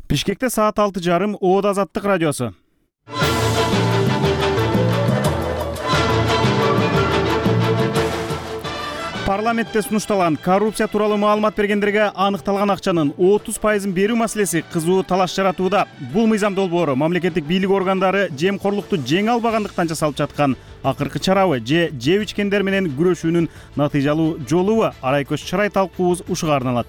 Бишкекте саат 6:30 ООД Азаттык радиосу. Парламентте сунушталган коррупция тууралуу маалымат бергендерге аныкталган акчанын 30% берүү маселеси кызуу талаш жаратууда. Бул мыйзам долбоору мамлекеттик бийлик органдары жемкорлукту жеңе албагандыктан жасалып жаткан акыркы чарабы же жеп ичкендер менен күрөшүүнүн натыйжалуу жолубу? Арайкөз чарай талкуубуз ушуга арналат.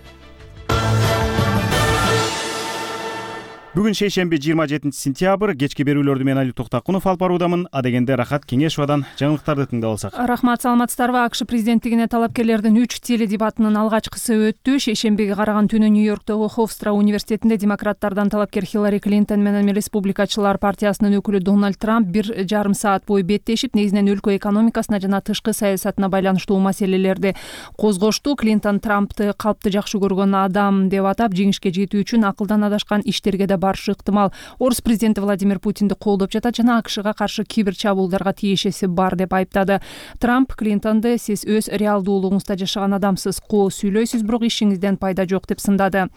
Бүгүн шейшемби 27 сентябрь, кечки берүүлөрдү мен Али Токтакунов алып баруудамын. Адегенде Рахат Кеңешовадан жаңылыктарды тыңдап алсак. Рахмат, саламатсыздарбы? АКШ президенттигине талапкерлердин 3 теледебатынын алгачкысы өттү. Шейшембиге караган түнү Нью-Йорктогу Хофстра университетинде демократтардан талапкер Хиллари Клинтон менен Республикачылар партиясынын өкүлү Дональд Трамп 1,5 саат бою беттешип, негизинен өлкө экономикасына жана тышкы саясатына байланыштуу маселелерди козгошту. Клинтон Трампты калпты жакшы көргөн адам деп атап, жеңишке жетүү үчүн акылдан адашкан иштерге да барышы ыктымал. Орус президенти Владимир Путинди колдоп жатат жана АКШга каршы кибер чабуулдарга тиешеси бар деп айыптады. Трамп Клинтонду сиз өз реалдуулугуңузда жашаган адамсыз, коо сүйлөйсүз, бирок ишиңизден пайда жок деп сындады.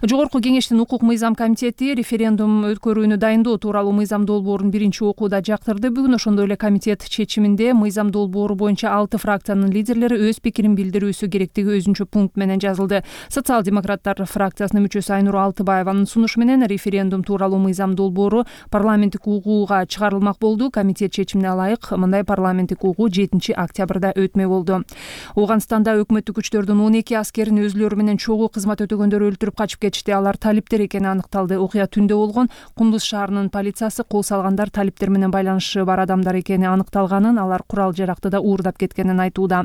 Жогорку кеңештин укук мыйзам комитети референдум өткөрүүнү дайындоо тууралуу мыйзам долбоорун биринчи окууда жактырды. Бүгүн ошондой эле комитет чечиминде мыйзам долбоору боюнча 6 фракциянын лидерлери өз пикирин билдирүүсү керектиги өзүнчө пункт менен жазылды. Социал-демократтар фракциясынын мүчөсү Айнур Алтыбаеванын сунушу менен референдум тууралуу мыйзам долбоору парламенттик угууга чыгарылмак болду. Комитет чечимине ылайык мындай парламенттик угуу 7 октябрда өтмөк болду. Ооганстанда өкмөттүк күчтөрдүн 12 аскерин өзүлөрү менен чогуу кызмат өтөгөндөр өлтүрүп качып кетишти. Алар талиптер экени аныкталды. Окуя түндө болгон. Кундуз шаарынын полициясы кол салгандар талиптер менен байланышы бар адамдар экени аныкталганын, алар курал жаракты да уурдап кеткенин айтууда.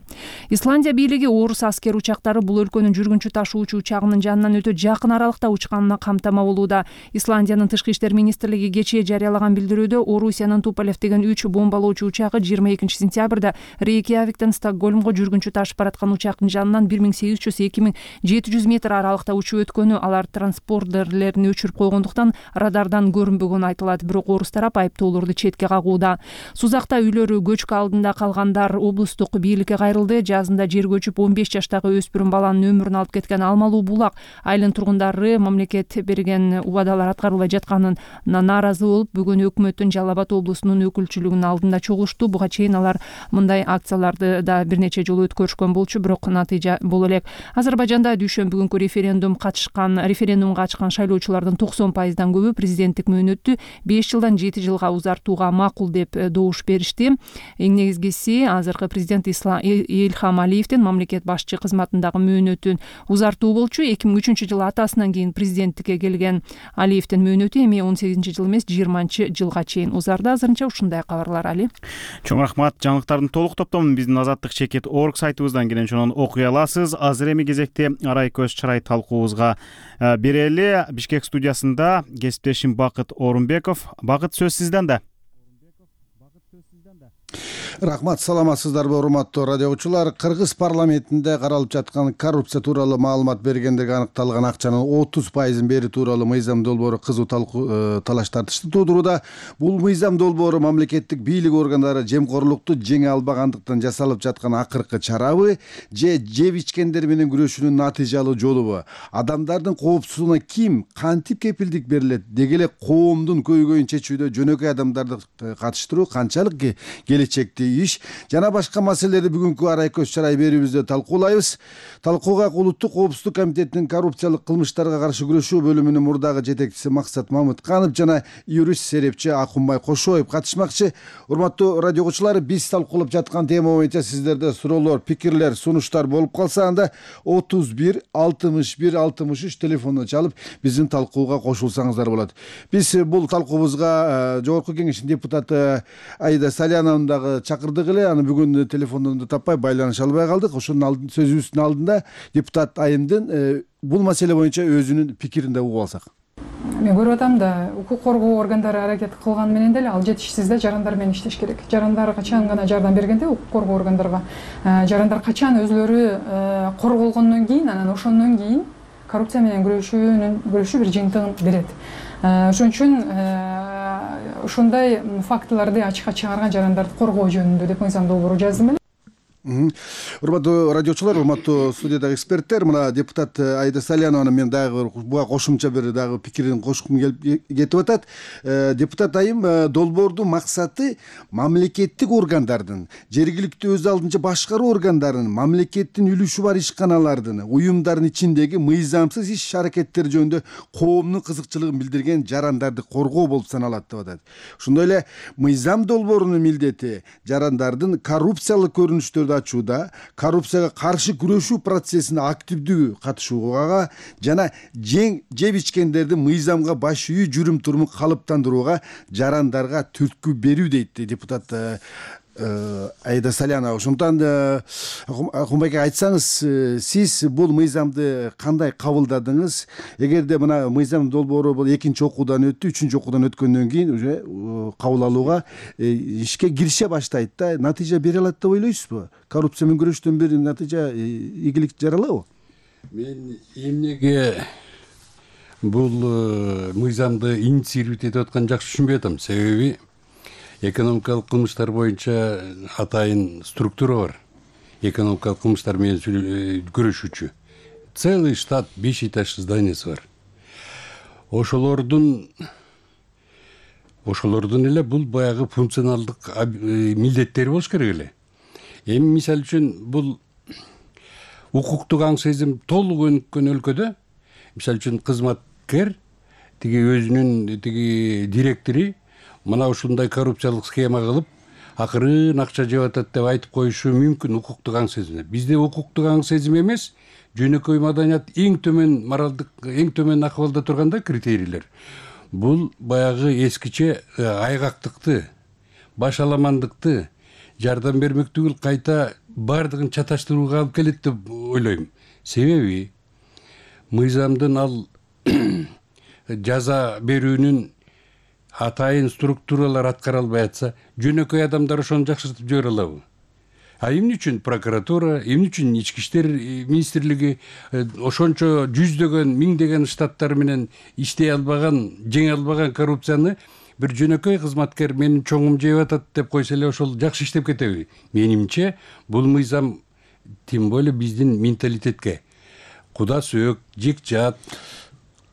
Исландия бийлиги орус аскер учактары бул өлкөнүн жүргүнчү ташуучу учагынын жанынан өтө жакын аралыкта учканына камтама болууда. Исландиянын тышкы иштер министрлиги кечээ жарыялаган билдирүүдө Орусиянын Туполев деген 3 бомбалоочу учагы 22 сентябрда Рейкьявиктен Стокгольмго жүргүнчү ташып бараткан учактын жанынан 1800–2700 метр аралыкта учуп өткөнү, алар транспордерлерин өчүрүп койгондуктан радардан көрүнбөгөнү айтылат. Бирок орус тарап айыптоолорду четке кагууда. Сузакта үйлөрү көчкү алдында калгандар облустук бийликке кайрылды. Жазында жер көчүп 15 жаштагы өспүрүм баланын өмүрүн алып кеткен Алмалуу булак айылынын тургундары мамлекет берген убадалар аткарылбай жатканын нааразы болуп, бүгүн өкмөттүн Жалал Абад облусунун өкүлчүлүгүнүн алдында чогулушту. Буга чейин алар мындай акцияларды да бир нече жолу өткөрүшкөн болчу, бирок натыйжа боло элек. Азербайжанда дүйшөмбү күнкү референдумга катышкан шайлоочулардын 90%дан көбү президенттик мөөнөттү 5 жылдан 7 жылга узартууга макул деп добуш беришти. Эң негизгиси азыркы президент Ильхам Алиевдин мамлекет башчы кызматындагы мөөнөтүн узартуу болчу. 2003 жылы атасынан кийин президенттикке келген Алиевдин мөөнөтү эми 18 жыл эмес 20 жылга чейин узарды. Азырынча ушундай кабарлар. Али. Чоң рахмат. Жаңылыктардын толук топтомун биздин azattik.org сайтыбыздан келен окуй аласыз. Азыр эми кезекте Арайкөз чарай талкуубузга берели. Бишкек студиясында кесиптешим Бакыт Орунбеков. Бакыт, сөз сизден да. Рахмат, саламатсыздарбы урматтуу радио угуучулар? Кыргыз парламентинде каралып жаткан коррупция тууралуу маалымат бергендерге аныкталган акчанын 30% берүү тууралуу мыйзам долбоору кызуу талаш тартышты туудурууда. Бул мыйзам долбоору мамлекеттик бийлик органдары жемкорлукту жеңе албагандыктан жасалып жаткан акыркы чарабы же жеп ичкендер менен күрөшүүнүн натыйжалуу жолубу? Адамдардын коопсуздугуна ким, кантип кепилдик берилет? Деги эле коомдун көйгөйүн чечүүдө жөнөкөй адамдарды катыштыруу канчалык келечекти иш жана башка маселелерди бүгүнкү Арайкөз чарай берүүбүздө талкуулайбыз. Талкууга Улуттук коопсуздук комитетинин коррупциялык кылмыштарга каршы күрөшүү бөлүмүнүн мурдагы жетекчиси Максат Мамытканов жана юрист серепчи Акунбай Кошоев катышмакчы. Урматтуу радио угуучулар, биз талкуулап жаткан тема боюнча сиздерде суроолор, пикирлер, сунуштар болуп калса, анда 31 61 63 телефондон чалып биздин талкууга кошулсаңыздар болот. Биз бул талкуубузга жогорку кеңештин депутаты Аида Саляновну дагы чакырдык эле. Аны бүгүн телефондон таппай байланыша албай калдык. Ошонун сөзүбүздүн алдында депутат Айымдын бул маселе боюнча өзүнүн пикирин да угуп алсак. Мен көрүп атам да, укук коргоо органдары аракет кылган менен деле ал жетишсиз да, жарандар менен иштеш керек. Жарандар качан гана жардам бергенде укук коргоо органдарга, жарандар качан өзүлөрү корголгондон кийин, анан ошондон кийин коррупция менен күрөшүү бир жыйынтыгын берет. Ошон үчүн ушундай фактыларды ачыкка чыгарган жарандарды коргоо жөнүндө деп мыйзам долбоору жаздым эле. Урматтуу радиочулар, урматтуу студиядагы эксперттер, мына депутат Аида Салянова мен дагы буга кошумча бир дагы пикирин кошкум кетип атат. Депутат айым, долбоордун максаты мамлекеттик органдардын, жергиликтүү өз алдынча башкаруу органдарынын, мамлекеттин үлүшү бар ишканалардын, уюмдардын ичиндеги мыйзамсыз иш аракеттер жөнүндө коомдун кызыкчылыгын билдирген жарандарды коргоо болуп саналат деп атат. Ошондой эле мыйзам долбоорунун милдети жарандардын коррупциялык көрүнүштөрдү ачууда, коррупцияга каршы күрөшүү процессине активдүү катышууга жана жеп ичкендерди мыйзамга баш ийүү жүрүм турумун калыптандырууга жарандарга түрткү берүү дейт депутат Аида Салянова. Ошондон Акунбек айтсаңыз, сиз бул мыйзамды кандай кабылдадыңыз? Эгерде мына мыйзам долбоору бул экинчи окуудан өттү, үчүнчү окуудан өткөндөн кийин уже кабыл алууга ишке кирише баштайт да, натыйжа бере алат деп ойлойсузбу? Коррупция менен күрөштөн бери натыйжа, ийгилик жаралабы? Мен эмнеге бул мыйзамды инициировать этип атканын жакшы түшүнбөй атам. Себеби экономикалык кылмыштар боюнча атайын структура бар. Экономикалык кылмыштар менен күрөшүүчү. Целый штат, 5 этажды зданиясы бар. Ошолордун эле бул баягы функционалдык милдеттери болуш керек эле. Эми мисалы үчүн бул укуктук аң сезим толук өнүккөн өлкөдө, мисалы үчүн кызматкер тиги өзүнүн тиги директори мына ушундай коррупциялык схема кылып, акырын акча жеп атат деп айтып коюшу мүмкүн укуктук аң сезим. Бизде укуктук аң сезим эмес, жөнөкөй маданият эң төмөн моралдык, эң төмөн акыбалда турганда критерийлер. Бул баягы эскиче айгактыкты, башаламандыкты, жардам бермек түгүл кайта бардыгын чаташтырууга алып келет деп ойлойм. Себеби мыйзамдын ал жаза берүүнүн атайын структуралар аткара албай атса, жөнөкөй адамдар ошону жакшыртып жибере алабы? А эмне үчүн прокуратура, эмне үчүн ички иштер министрлиги ошончо жүздөгөн, миңдеген штаттар менен иштей албаган, жеңе албаган коррупцияны бир жөнөкөй кызматкер менин чоңум жеп атат деп койсо эле ошол жакшы иштеп кетеби? Менимче бул мыйзам тем более биздин менталитетке, куда сөөк, жек жат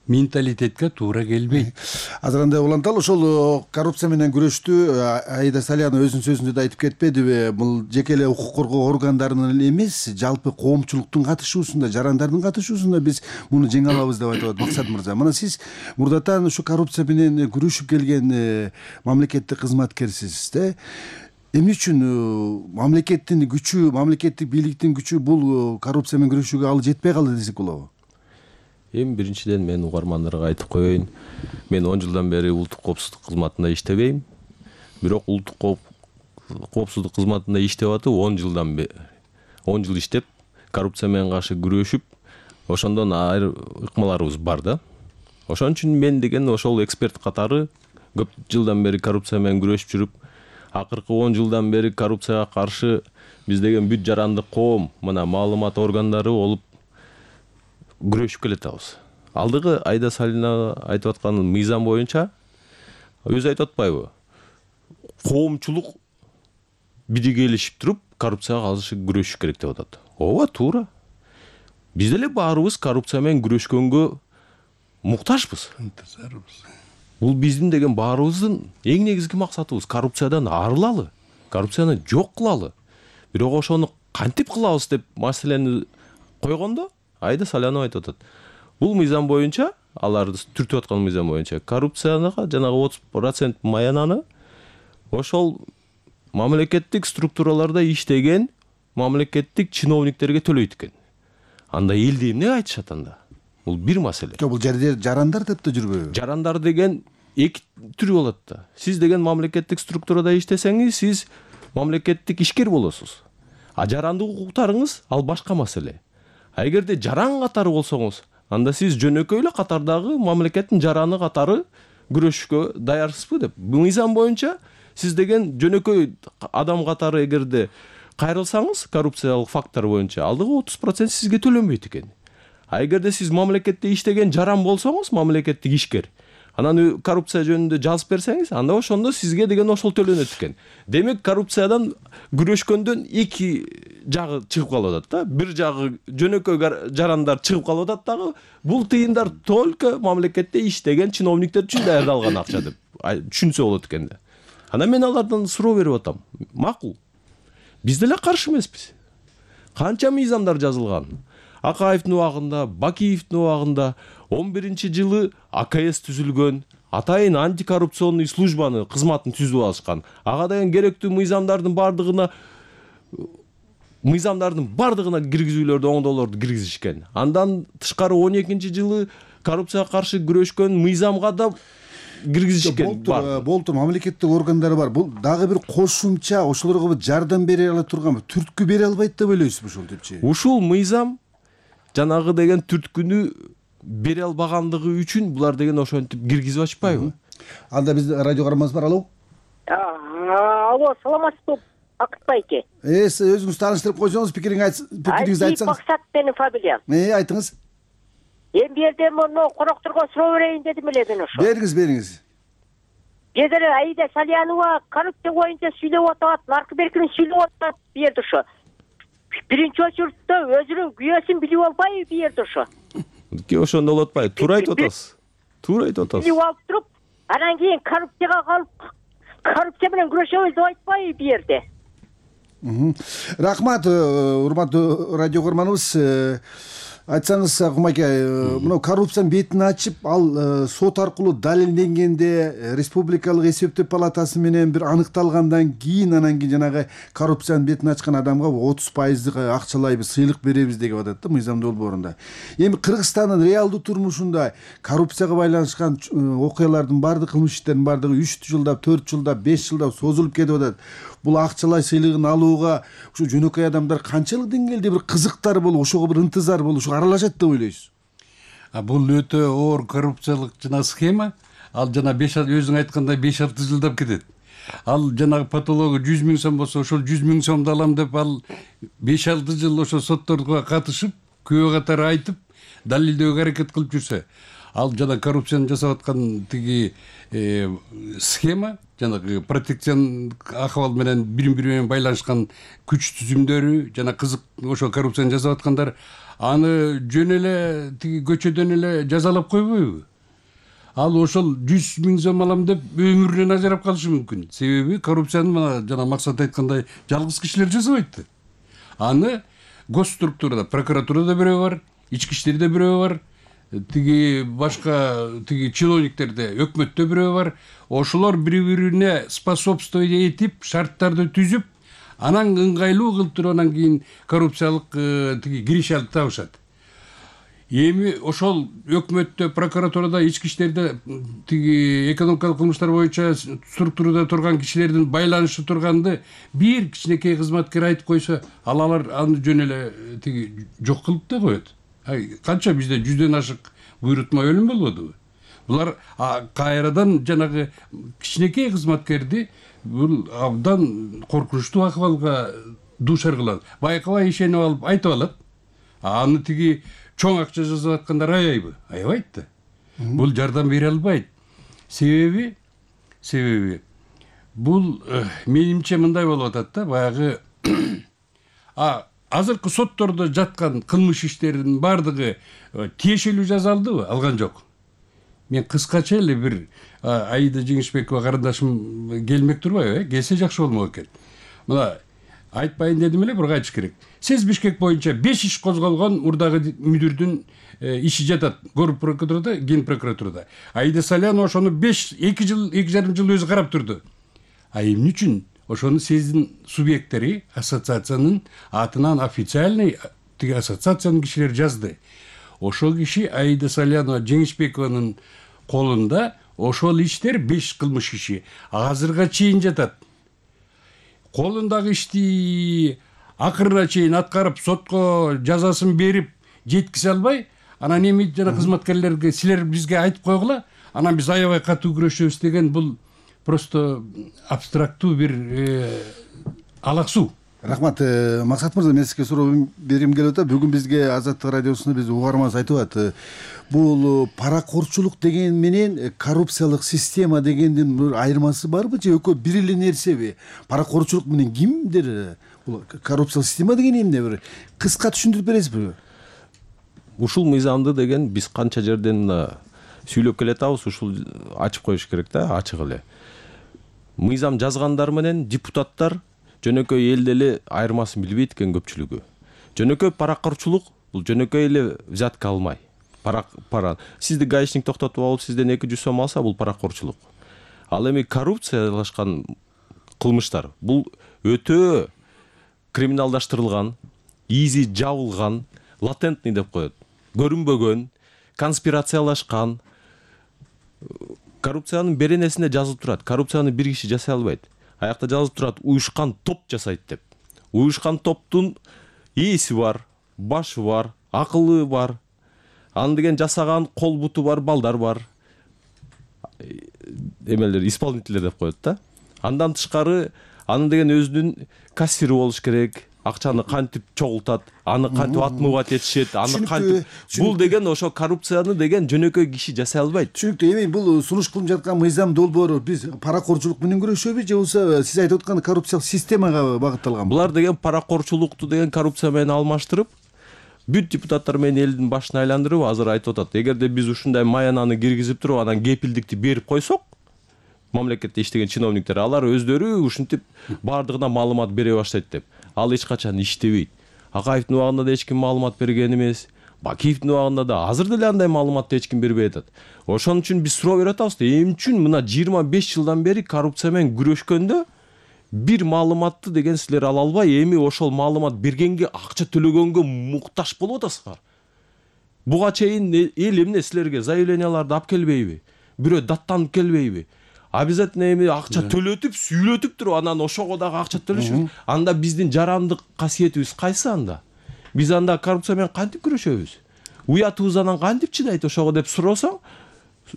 менталитетке туура келбейт. Азыр андай уланталы, ошол коррупция менен күрөштү Аида Салянова өзүнүн сөзүндө да айтып кетпедиби? Бул жеке эле укук коргоо органдарынын эле эмес, жалпы коомчулуктун катышуусунда, жарандардын катышуусунда биз муну жеңе алабыз деп айтып атат Максат мырза. Мына сиз мурдатан ушу коррупция менен күрөшүп келген мамлекеттик кызматкерсиз да. Эмне үчүн мамлекеттин күчү, мамлекеттик бийликтин күчү бул коррупция менен күрөшүүгө ал жетпей калды десек болобу? Эми биринчиден мен угармандарга айтып коеюн, мен 10 жылдан бери улуттук коопсуздук кызматында иштебейм. Бирок улуттук коопсуздук кызматында иштеп атып 10 жылдан бери 10 жыл иштеп, коррупция менен каршы күрөшүп, ошондон айрым ыкмаларыбыз бар да. Ошон үчүн мен деген ошол эксперт катары көп жылдан бери коррупция менен күрөшүп жүрүп, акыркы 10 жылдан бери коррупцияга каршы биз деген бүт жарандык коом, мына маалымат органдары болуп күрөшүп келатабыз. Алдыгы Аида Салянова айтып аткан мыйзам боюнча өзү айтып атпайбы? Коомчулук биригелешип туруп коррупцияга каршы күрөшүш керек деп атат. Ооба, туура. Биз деле баарыбыз коррупция менен күрөшкөнгө муктажбыз. Бул биздин деген баарыбыздын эң негизги максатыбыз. Коррупциядан арылалы, коррупцияны жок кылалы. Бирок ошону кантип кылабыз деп маселени койгондо Аида Салянова айтып атат. Бул мыйзам боюнча, аларды түртүп аткан мыйзам боюнча коррупцияга жанагы 30% маянаны ошол мамлекеттик структураларда иштеген мамлекеттик чиновниктерге төлөйт экен. Анда элде эмне айтышат анда? Бул бир маселе. Бул жарандар деп да жүрбөйбү? Жарандар деген эки түрү болот да. Сиз деген мамлекеттик структурада иштесеңиз, сиз мамлекеттик ишкер болосуз. А жарандык укуктарыңыз ал башка маселе. А эгерде жаран катары болсоңуз, анда сиз жөнөкөй эле катардагы мамлекеттин жараны катары күрөшүшкө даярсызбы деп. Мыйзам боюнча сиз деген жөнөкөй адам катары эгерде кайрылсаңыз коррупциялык фактор боюнча, алдыгы 30% сизге төлөнбөйт экен. А эгерде сиз мамлекетте иштеген жаран болсоңуз, мамлекеттик ишкер, анан коррупция жөнүндө жазып берсеңиз, анда ошондо сизге деген ошол төлөнөт экен. Демек коррупциядан күрөшкөндөн эки жагы чыгып калып атат да. Бир жагы жөнөкөй жарандар чыгып калып атат дагы. Бул тыйындар только мамлекетте иштеген чиновниктер үчүн даярдалган акча деп түшүнсө болот экен да. Анан мен алардан суроо берип атам. Макул. Биз деле каршы эмеспиз. Канча мыйзамдар жазылган. Акаевдин убагында, Бакиевдин убагында 11-жылы АКС түзүлгөн, атайын антикоррупционный службаны кызматын түзүп алышкан. Ага деген керектүү мыйзамдардын бардыгына киргизүүлөрдү, оңдоолорду киргизишкен. Андан тышкары 12-жылы коррупцияга каршы күрөшкөн мыйзамга да киргизишкен. Болду, мамлекеттик органдар бар. Бул дагы бир кошумча ошолорго жардам бере ала турган, түрткү бере албайт деп ойлойсузбу ушул депчи? Ушул мыйзам жанагы деген түрткүнү бере албагандыгы үчүн булар деген ошентип киргизип ачпайбы? Анда биз радио кармабыз бар. Алло. Алло, саламатсызбы, Акыт байке? Өзүңүз тааныштырып койсоңуз, пикириңизди айтсаңыз. Максат менин фамилиям. Айтыңыз. Эми бу жерде мону корокторго суроо берейин дедим эле мен ошо. Бериңиз. Бедер Аида Салянова коррупция боюнча сүйлөп атат, наркоберкин сүйлөп атат бу жерде ошо. Биринчи очередте өзүнүн күйөөсүн билип албайбы бу жерде ошо. Ошондо болуп атпайбы? Туура айтып атасыз. Билип алып туруп, анан кийин коррупцияга калып, коррупция менен күрөшөбүз деп айтпайбы бу жерде. Рахмат, урматтуу радио көрманыбыз. Айтсаңыз, Акмаке, мына коррупциянын бетин ачып, ал сот аркылуу далилденгенде, республикалык эсептөө палатасы менен бир аныкталгандан кийин, анан кийин жанагы коррупциянын бетин ачкан адамга 30% акчалай сыйлык беребиз деп атат да мыйзам долбоорунда. Эми Кыргызстандын реалдуу турмушунда коррупцияга байланышкан окуялардын бардык, кылмыш иштердин бардыгы 3 жылдап, 4 жылдап, 5 жылдап созулуп кетип атат. Бул акчалай сыйлыгын алууга ушу жөнөкөй адамдар канчалык деңгээлде бир кызыктар болуп, ошого бир ынтызар болуп, ошо аралашат деп ойлойсуз? Бул өтө оор коррупциялык схема. Ал жана өзүң айткандай 5-6 жылдап кетет. Ал жанагы патологу 100 000 сом болсо, ошол 100 000 сомду алам деп ал 5-6 жыл ошо сотторго катышып, күбө катары айтып, далилдөөгө аракет кылып жүрсө, ал жана коррупцияны жасап аткан тиги схема, жанагы протекцион акыбал менен бири-бири менен байланышкан күч түзүмдөрү, жана кызык ошо коррупцияны жасап аткандар аны жөн эле тиги көчөдөн эле жазалап койбойбу? Ал ошол 100 000 сом алам деп өмүрүнөн ажырап калышы мүмкүн. Себеби коррупцияны мына жана Максат айткандай жалгыз кишилер жасабайт. Аны госструктурада, прокуратурада бирөө бар, ички иштерде бирөө бар, тиги башка тиги чиновниктерде, өкмөттө бирөө бар. Ошолор бири-бирине способствовать этип, шарттарды түзүп, анан ыңгайлуу кылып туруп анан кийин коррупциялык тиги кириш алып табышат. Эми ошол өкмөттө, прокуратурада, ички иштерде тиги экономикалык кылмыштар боюнча структурада турган кишилердин байланышы турганды бир кичинекей кызматкер айтып койсо, алар аны жөн эле тиги жок кылып да коет. Канча бизде 100дөн ашык буйрутма өлүм болбодубу? Булар кайрадан жанагы кичинекей кызматкерди бул абдан коркунучтуу акыбалга дуушар кылат. Байкабай ишенип алып айтып алат. Аны тиги чоң акча жасап аткандар аябайбы? Аябайт да. Бул жардам бере албайт. Себеби бул менимче мындай болуп атат да, баягы азыркы соттордо жаткан кылмыш иштеринин бардыгы тиешелүү жазалдыбы? Алган жок. Мен кыскача эле бир Аида Жеңишбекова карындашым келмек турбайбы? Келсе жакшы болмок экен. Мына айтпайын дедим эле, бирок айтыш керек. Сез Бишкек боюнча 5 иш козголгон мурдагы мүдүрдүн иши жатат. Город прокуратурада, Ген прокуратурада. Аида Салянова ошону 2,5 жыл өзү карап турду. Эмне үчүн ошону сездин субъекттери ассоциациянын атынан официальный тиги ассоциациянын кишилери жазды. Ошол киши Аида Салянова Жеңишбекованын колунда ошол иштер 5 кылмыш иши азырга чейин жатат. Колундагы ишти акырына чейин аткарып, сотко жазасын берип жеткизе албай, анан эми жана кызматкерлерге силер бизге айтып койгула, анан биз аябай катуу күрөшөбүз деген бул просто абстрактуу бир алаксуу. Рахмат. Максат мырза, мен сизге суроо бергим келип атат. Бүгүн бизге Азаттык радиосунда биз угарманыбыз айтып атат. Бул паракорчулук деген менен коррупциялык система дегендин бир айырмасы барбы же экөө бир эле нерсеби? Паракорчулук менен кимдир? Бул коррупциялык система деген эмне, бир кыска түшүндүрүп бересизби? Ушул мыйзамды деген биз канча жерден сүйлөп келатабыз, ушул ачып коюш керек да, ачык эле. Мыйзам жазгандар менен депутаттар жөнөкөй элде эле айырмасын билбейт экен көпчүлүгү. Жөнөкөй паракорчулук бул жөнөкөй эле взятка алмай. Сизди гаишник токтотуп алып, сизден 200 сом алса, бул паракорчулук. Ал эми коррупциялашкан кылмыштар бул өтө криминалдаштырылган, изи жабылган, латентный деп коет. Көрүнбөгөн, конспирациялашкан. Коррупциянын беренесинде жазылып турат. Коррупцияны бир киши жасай албайт. Аякта жазылып турат, уюшкан топ жасайт деп. Уюшкан топтун ээси бар, башы бар, акылы бар. Аны деген жасаган кол буту бар, балдар бар. Эмелер, исполнительдер деп коет да. Андан тышкары аны деген өзүнүн кассири болуш керек. Акчаны кантип чогултат, аны кантип отмывать этишет, аны кантип. Бул деген ошо коррупцияны деген жөнөкөй киши жасай албайт. Түшүнүктүү. Эми бул сунуш кылып жаткан мыйзам долбоору биз паракорчулук менен күрөшөбү же болбосо сиз айтып аткан коррупциялык системага багытталганбы? Булар деген паракорчулукту деген коррупция менен алмаштырып, бүт депутаттар менен элдин башын айландырып азыр айтып атат. Эгерде биз ушундай маянаны киргизип туруп, анан кепилдикти берип койсок, мамлекетте иштеген чиновниктер алар өздөрү ушинтип баардыгына маалымат бере баштайт деп. Ал эч качан иштебейт. Акаевдин убагында да эч ким маалымат берген эмес. Бакиевдин убагында да азыр деле андай маалыматты эч ким бербей атат. Ошон үчүн биз суроо берип атабыз да, эмне үчүн мына 25 жылдан бери коррупция менен күрөшкөндө бир маалыматты деген силер ала албай, эми ошол маалымат бергенге, акча төлөгөнгө муктаж болуп атасыздар. Буга чейин эл эмне силерге заявленияларды алып келбейби? Бирөө даттанып келбейби? Обязательно эми акча төлөтүп, сүйлөтүп туруп, анан ошого дагы акча төлөшөбүз. Анда биздин жарандык касиетибиз кайсы анда? Биз анда коррупция менен кантип күрөшөбүз? Уятыбыз анан кантип чыдайт ошого деп сурасаң,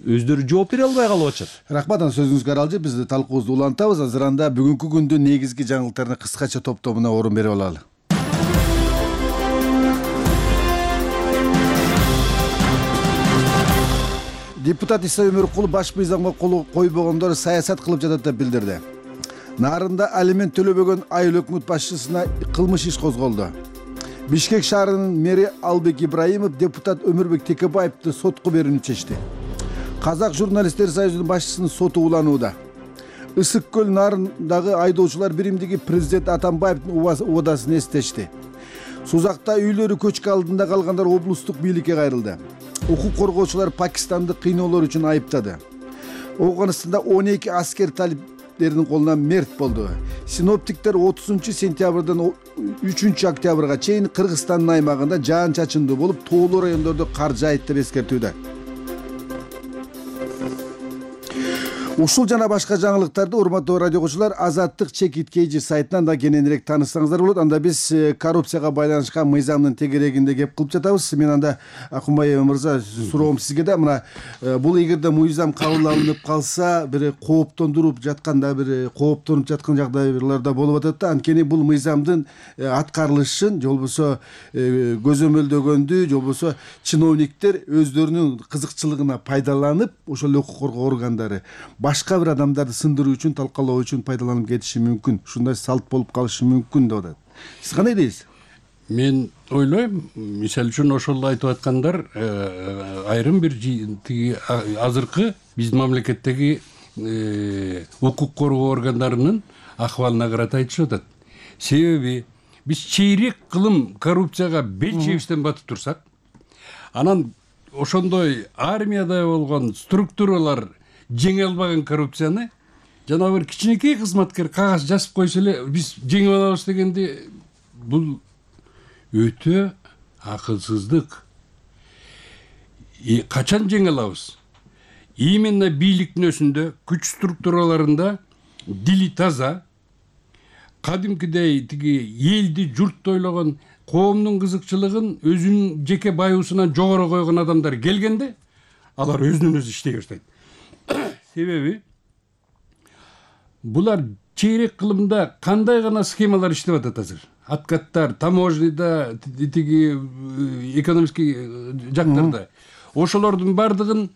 өздөрү жооп бере албай калып атышат. Рахмат, сөзүңүзгө аралжы биз талкуубузду улантабыз. Азыр анда бүгүнкү күндүн негизги жаңылыктарына кыскача топтомуна орун берип алалы. Депутат Иса Өмөркулов баш мыйзамга кол койбогондор саясат кылып жатат деп билдирди. Нарында алимент төлөбөгөн айыл өкмөт башчысына кылмыш иш козголду. Бишкек шаарынын мэри Албек Ибраимов депутат Өмүрбек Текебаевди сотко берүүнү чечти. Казак журналисттер союзунун башчысынын соту уланууда. Ысык көл нарындагы айдоочулар биримдиги президент Атамбаевдин убадасын эстешти. Сузакта үйлөрү көчкү алдында калгандар облустук бийликке кайрылды. Укук коргоочулар Пакистанды кыйноолор үчүн айыптады. Афганистанда 12 аскер талиптердин колунан мерт болду. Синоптиктер 30 сентябрдан 3 октябрга чейин Кыргызстандын аймагында жаан-чачындуу болуп, тоолуу райондордо кар жаайт деп эскертүүдө. Ушул жана башка жаңылыктарды урматтуу радио окуучулар Азаттык ЧКТ сайтынан да кененирээк тааныссаңыздар болот. Анда биз коррупцияга байланышкан мыйзамдын тегерегинде кеп кылып жатабыз. Мен анда Акунбай мырза суроом сизге да, мына бул эгерде мыйзам кабыл алынып калса, бир кооптондуруп жатканда, бир кооптонуп жаткан жагдайлар да болуп атат да. Анткени бул мыйзамдын аткарылышын, же болбосо көзөмөлдөгөндү, же болбосо чиновниктер өздөрүнүн кызыкчылыгына пайдаланып, ошол укук коргоо органдары башка бир адамдарды сындыруу үчүн, талкалоо үчүн пайдаланып кетиши мүмкүн. Ушундай салт болуп калышы мүмкүн деп атат. Сиз кандай дейсиз? Мен ойлойм, мисалы үчүн ошол айтып аткандар айрым бир тиги азыркы биздин мамлекеттеги укук коргоо органдарынын акыбалына карата айтышып атат. Себеби биз чейрек кылым коррупцияга бел чебистен батып турсак, анан ошондой армияда болгон структуралар жеңе албаган коррупцияны жана бир кичинекей кызматкер кагаз жазып койсо эле биз жеңип алабыз дегенде, бул өтө акылсыздык. Качан жеңе алабыз? Именно бийликтин өзүндө, күч структураларында дили таза, кадимкидей тиги элди журт ойлогон, коомдун кызыкчылыгын өзүнүн жеке баюусунан жогору койгон адамдар келгенде, алар өзүнөн өзү иштей баштайт. Себеби булар чейрек кылымда кандай гана схемалар иштеп атат азыр. Откаттар, таможняда, тиги экономический жактарда. Ошолордун бардыгын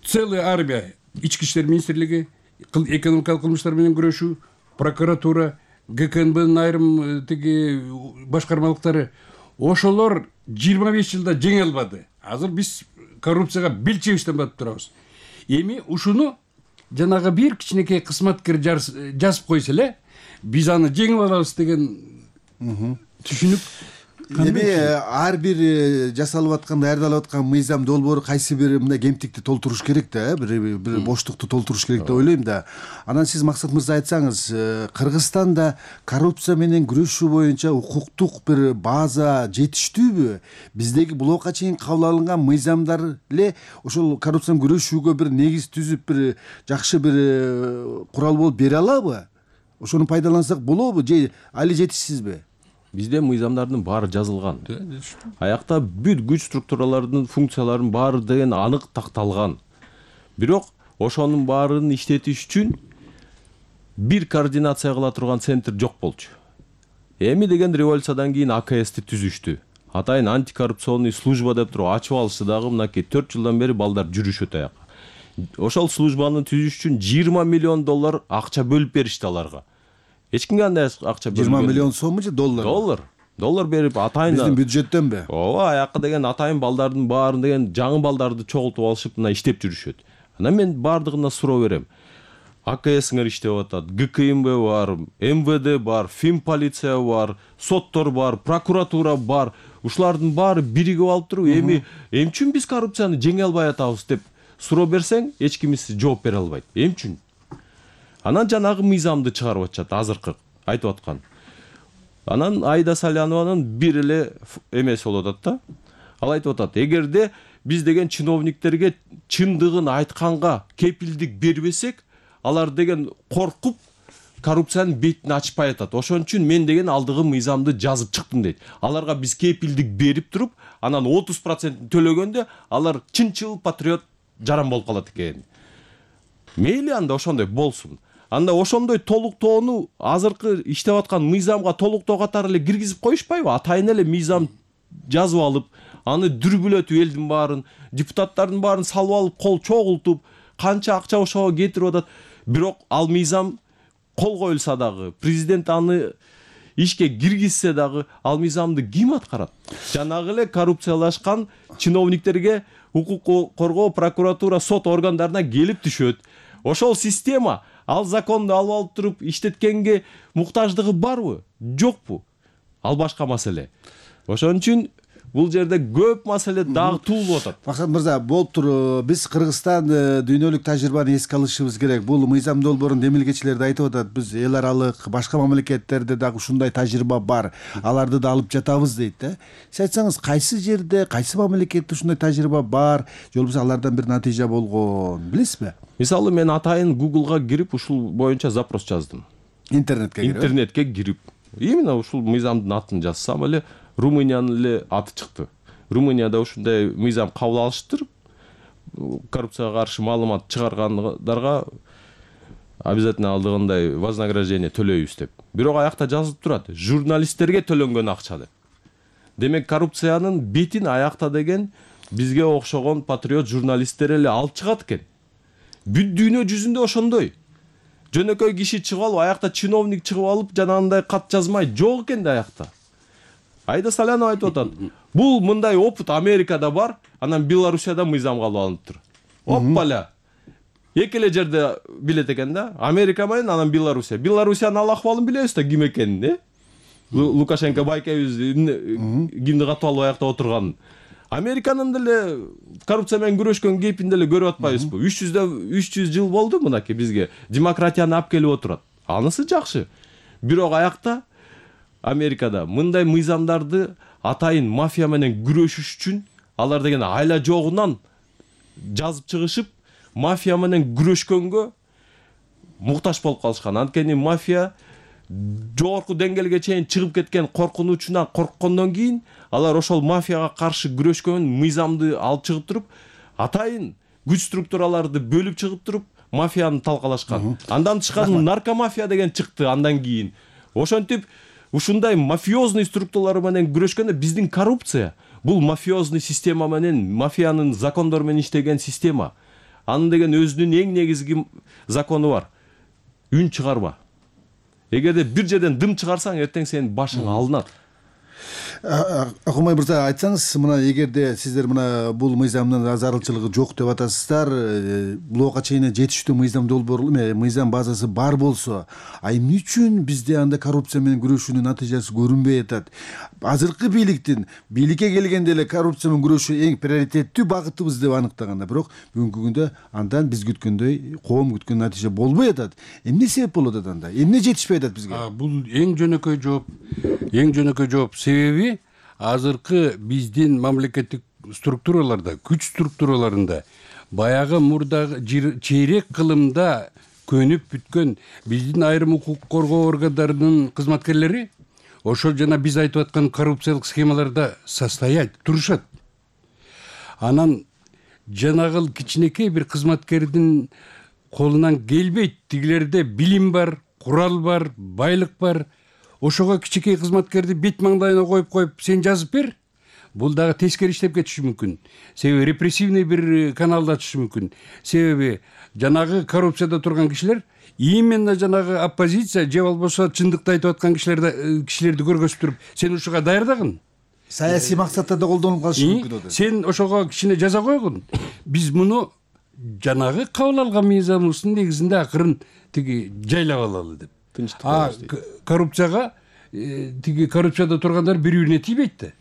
целая армия, ички иштер министрлиги, экономикалык кылмыштар менен күрөшүү, прокуратура, ГКНБнын айрым тиги башкармалыктары, ошолор 25 жылда жеңе албады. Азыр биз коррупцияга бел чебиштен батып турабыз. Эми ушуну жанагы бир кичинекей кызматкер жазып койсо эле, биз аны жеңип алабыз деген түшүнүк. Эми ар бир жасалып аткан, даярдалып аткан мыйзам долбоору кайсы бир мындай кемтикти толтуруш керек да, бир боштукту толтуруш керек деп ойлойм да. Анан сиз Максат мырза айтсаңыз, Кыргызстанда коррупция менен күрөшүү боюнча укуктук бир база жетиштүүбү? Биздеги булга чейин кабыл алынган мыйзамдар эле ошол коррупцияны күрөшүүгө бир негиз түзүп, бир жакшы бир курал болуп бере алабы? Ошону пайдалансак болобу же али жетишсизби? Бизде мыйзамдардын баары жазылган. Аякта бүт күч структуралардын функцияларынын баары деген анык такталган. Бирок ошонун баарын иштетиш үчүн бир координация кыла турган центр жок болчу. Эми деген революциядан кийин АКСти түзүштү. Атайын антикоррупционный служба деп туруп ачып алышты дагы, мынакей 4 жылдан бери балдар жүрүшөт аяка. Ошол службаны түзүш үчүн 20 миллион доллар акча бөлүп беришти аларга. Эч кимге андай акча бөлүп 20 миллион сомму же доллар? Доллар берип атайын биздин бюджеттенби? Ооба, аяка деген атайын балдардын баарын деген жаңы балдарды чогултуп алышып мына иштеп жүрүшөт. Анан мен бардыгына суроо берем. АКСңер иштеп атат, ГКМБ бар, МВД бар, ФИМ полиция бар, соттор бар, прокуратура бар. Ушулардын баары биригип алып туруп, эми үчүн биз коррупцияны жеңе албай атабыз деп суроо берсең, эч ким жооп бере албайт. Эми үчүн? Анан жанагы мыйзамды чыгарып атышат, азыркы айтып аткан. Анан Айда Салянованын бир эле эмеси болуп атат да. Ал айтып атат, эгерде биз деген чиновниктерге чындыгын айтканга кепилдик бербесек, алар деген коркуп коррупциянын бетин ачпай атат. Ошон үчүн мен деген алдыгы мыйзамды жазып чыктым дейт. Аларга биз кепилдик берип туруп, анан 30% төлөгөндө алар чынчыл патриот жаран болуп калат экен. Мейли анда ошондой болсун. Анда ошондой толуктоону азыркы иштеп аткан мыйзамга толуктоо катары эле киргизип коюшпайбы? Атайын эле мыйзам жазып алып, аны дүрбүлөтүп элдин баарын, депутаттардын баарын салып алып, кол чогултуп, канча акча ошого кетирип атат. Бирок ал мыйзам кол коюлса дагы, президент аны ишке киргизсе дагы, ал мыйзамды ким аткарат? Жанагы эле коррупциялашкан чиновниктерге укук коргоо, прокуратура, сот органдарына келип түшөт. Ошол система ал законду алып туруп иштеткенге муктаждыгы барбы, жокпу? Ал башка маселе. Ошон үчүн бул жерде көп маселе дагы туулуп атат. Максат мырза, болуптур, биз Кыргызстан дүйнөлүк тажрыйбаны эске алышыбыз керек. Бул мыйзам долбоорун демилгечилер да айтып атат. Биз эл аралык башка мамлекеттерде дагы ушундай тажрыйба бар. Аларды да алып жатабыз дейт да. Сиз айтсаңыз, кайсы жерде, кайсы мамлекетте ушундай тажрыйба бар, же болбосо алардан бир натыйжа болгон, билесизби? Мисалы, мен атайын Google'га кирип ушул боюнча запрос жаздым. Интернетке кирип. Именно ушул мыйзамдын атын жазсам эле Румыниянын эле аты чыкты. Румынияда ушундай мыйзам кабыл алыштыр. Коррупцияга каршы маалымат чыгаргандарга обязательно алдыгындай вознаграждение төлөйбүз деп. Бирок аякта жазылып турат, журналисттерге төлөнгөн акча деп. Демек коррупциянын бетин аякта деген бизге окшогон патриот журналисттер эле алып чыгат экен. Бүт дүйнө жүзүндө ошондой. Жөнөкөй киши чыгып алып, аякта чиновник чыгып алып, жанагындай кат жазмай жок экен да аякта. Айда Салянова айтып атат. Бул мындай опыт Америкада бар, анан Белоруссияда мыйзам кабыл алыныптыр. Оппаля. Эки эле жерде билет экен да. Америка менен анан Белоруссия. Белоруссиянын ал акыбалын билебиз да ким экенин, э? Лукашенко байкебиз кимди катып алып аякта отурганын. Американын деле коррупция менен күрөшкөн кейпин деле көрүп атпайбызбы? 300 жыл болду мынакей бизге демократияны алып келип отурат. Анысы жакшы. Бирок аякта Америкада мындай мыйзамдарды атайын мафия менен күрөшүш үчүн алар деген айла жогунан жазып чыгышып, мафия менен күрөшкөнгө муктаж болуп калышкан. Анткени мафия жогорку деңгээлге чейин чыгып кеткен коркунучунан корккондон кийин алар ошол мафияга каршы күрөшкөн мыйзамды алып чыгып туруп, атайын күч структураларды бөлүп чыгып туруп, мафияны талкалашкан. Андан тышкары наркомафия деген чыкты андан кийин. Ошентип ушундай мафиозный структуралар менен күрөшкөндө биздин коррупция бул мафиозный система менен, мафиянын закондору менен иштеген система. Анын деген өзүнүн эң негизги закону бар. Үн чыгарма. Эгерде бир жерден дым чыгарсаң, эртең сенин башың алынат. Акылбай мырза, айтсаңыз, мына эгерде сиздер мына бул мыйзамдын зарылчылыгы жок деп атасыздар, буга чейин жетиштүү мыйзам долбоору, мыйзам базасы бар болсо, эмне үчүн бизде анда коррупция менен күрөшүүнүн натыйжасы көрүнбөй атат? Азыркы бийликке келгенде эле коррупция менен күрөшүү эң приоритеттүү багытыбыз деп аныктаганда, бирок бүгүнкү күндө андан биз күткөндөй, коом күткөн натыйжа болбой атат. Эмне себеп болуп атат анда? Эмне жетишпей атат бизге? Бул эң жөнөкөй жооп. Себеби азыркы биздин мамлекеттик структураларда, күч структураларында баягы мурдагы чейрек кылымда көнүп бүткөн биздин айрым укук коргоо органдарынын кызматкерлери ошол жана биз айтып аткан коррупциялык схемаларда турушат. Анан жанагыл кичинекей бир кызматкердин колунан келбейт. Тигилерде билим бар, курал бар, байлык бар. Ошого кичинекей кызматкерди бет маңдайына коюп сен жазып бер. Бул дагы тескери иштеп кетиши мүмкүн. Себеби репрессивный бир каналды ачышы мүмкүн. Себеби жанагы коррупцияда турган кишилер именно жанагы оппозиция же болбосо чындыкты айтып аткан кишилерди көргөзүп туруп, сен ушуга даярдагын. Саясий максаттарда колдонуп калышы мүмкүн. Сен ошого кичине жаза койгун. Биз муну жанагы кабыл алган мыйзамыбыздын негизинде акырын жайлап алалы деп. Коррупцияга коррупцияда тургандар бири-бирине тийбейт да.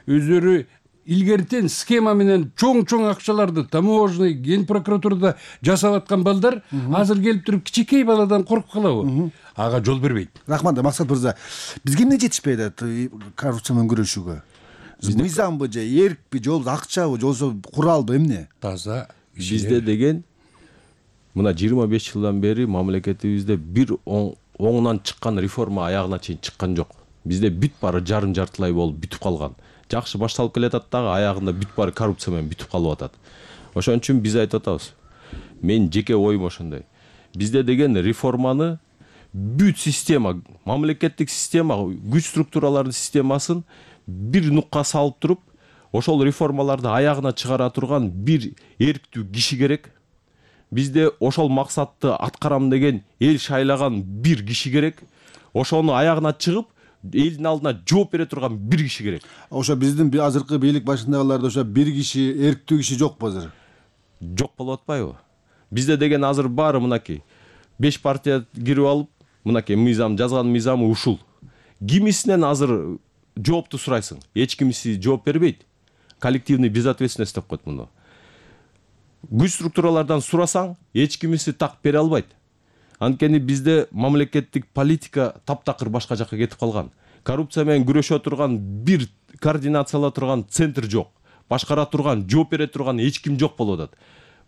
Өздөрү илгертен схема менен чоң акчаларды таможный, ген прокуратурада жасап аткан балдар азыр келип туруп кичинекей баладан коркуп калабы? Ага жол бербейт. Рахмат, Максат мырза. Бизге эмне жетишпей атат коррупция менен күрөшүүгө? Мыйзамбы же, эркпи, жол акчабы, жолсо куралбы, эмне? Таза. Бизде деген мына 25 жылдан бери мамлекетибизде бир оңунан чыккан реформа аягына чейин чыккан жок. Бизде бүт бары жартылай болуп бүтүп калган. Жакшы башталып келатат дагы, аягында бүт бары коррупция менен бүтүп калып атат. Ошон үчүн биз айтып атабыз. Мен жеке оюм ошондой. Бизде деген реформаны бүт система, мамлекеттик система, күч структуралардын системасын бир нукка салып туруп, ошол реформаларды аягына чыгара турган бир эрктүү киши керек. Бизде ошол максатты аткарам деген эл шайлаган бир киши керек. Ошону аягына чыгып, элдин алдына жооп бере турган бир киши керек. Ошо биздин азыркы бийлик башындагыларда ошо бир киши, эрктүү киши жокпу азыр? Жок болуп атпайбы? Бизде деген азыр баары мынакей 5 партия кирип алып, мынакей мыйзам жазган мыйзамы ушул. Кимисинен азыр жоопту сурайсың? Эч кимиси жооп бербейт. Коллективный безответственность деп коет муну. Күч структуралардан сурасаң, эч кимиси так бере албайт. Анткени бизде мамлекеттик политика таптакыр башка жакка кетип калган. Коррупция менен күрөшө турган бир координациялап турган центр жок. Башкара турган, жооп бере турган эч ким жок болуп атат.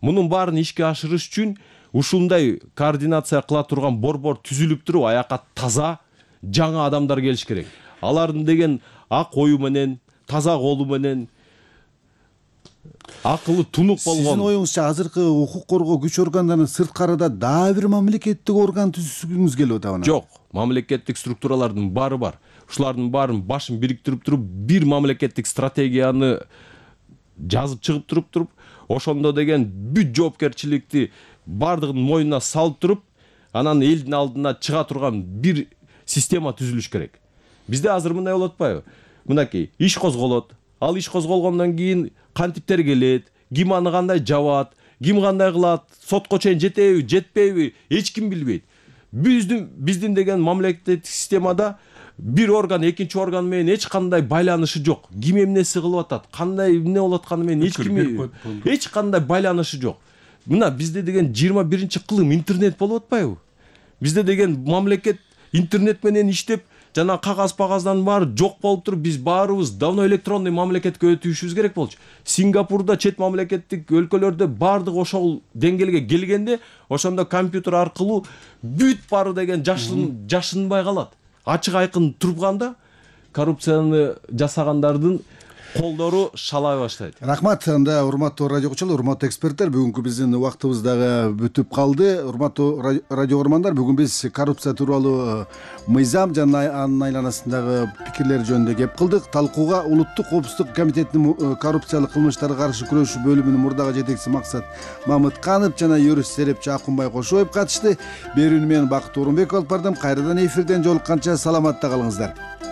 Мунун баарын ишке ашырыш үчүн ушундай координация кыла турган борбор түзүлүп туруп, аяка таза, жаңа адамдар келиш керек. Алардын деген ак ою менен, таза колу менен, акылы тунук болгон. Сиздин оюңузча азыркы укук коргоо күч органдарынын сырткарыда дагы бир мамлекеттик орган түзүшүңүз келип атабы? Жок, мамлекеттик структуралардын баары бар. Ушулардын баарын башын бириктирип туруп, бир мамлекеттик стратегияны жазып чыгып туруп, ошондо деген бүт жоопкерчиликти бардыгын мойнуна салып туруп, анан элдин алдына чыга турган бир система түзүлүш керек. Бизде азыр мындай болот атпайбы? Мынакей иш козголот. Ал иш козголгондон кийин кантиптер келет, ким аны кандай жабат, ким кандай кылат, сотко чейин жетеби, жетпейби, эч ким билбейт. Биздин деген мамлекеттик системада бир орган экинчи орган менен эч кандай байланышы жок. Ким эмнеси кылып атат, кандай эмне болуп атканы менен эч кандай байланышы жок. Мына бизде деген 21-кылым интернет болуп атпайбы? Бизде деген мамлекет интернет менен иштеп, жана кагаз-пагаздан баары жок болуп туруп, биз баарыбыз давно электронный мамлекетке өтүшүбүз керек болчу. Сингапурда, чет мамлекеттик өлкөлөрдө баардык ошол деңгээлге келгенде, ошондо компьютер аркылуу бүт баары деген жашынбай калат. Ачык айкын турганда коррупцияны жасагандардын колдору шалай баштайт. Рахмат. Анда урматтуу радио окуучулар, урматтуу эксперттер, бүгүнкү биздин убактыбыз дагы бүтүп калды. Урматтуу радио угармандар, бүгүн биз коррупция тууралуу мыйзам жана анын айланасындагы пикирлер жөнүндө кеп кылдык. Талкууга Улуттук коопсуздук комитетинин коррупциялык кылмыштарга каршы күрөшүү бөлүмүнүн мурдагы жетекчиси Максат Мамытканов жана юрист серепчи Акунбай Кошоев катышты. Берүүнү мен Бакыт Орунбеков алып бардым. Кайрадан эфирден жолукканча саламатта калыңыздар.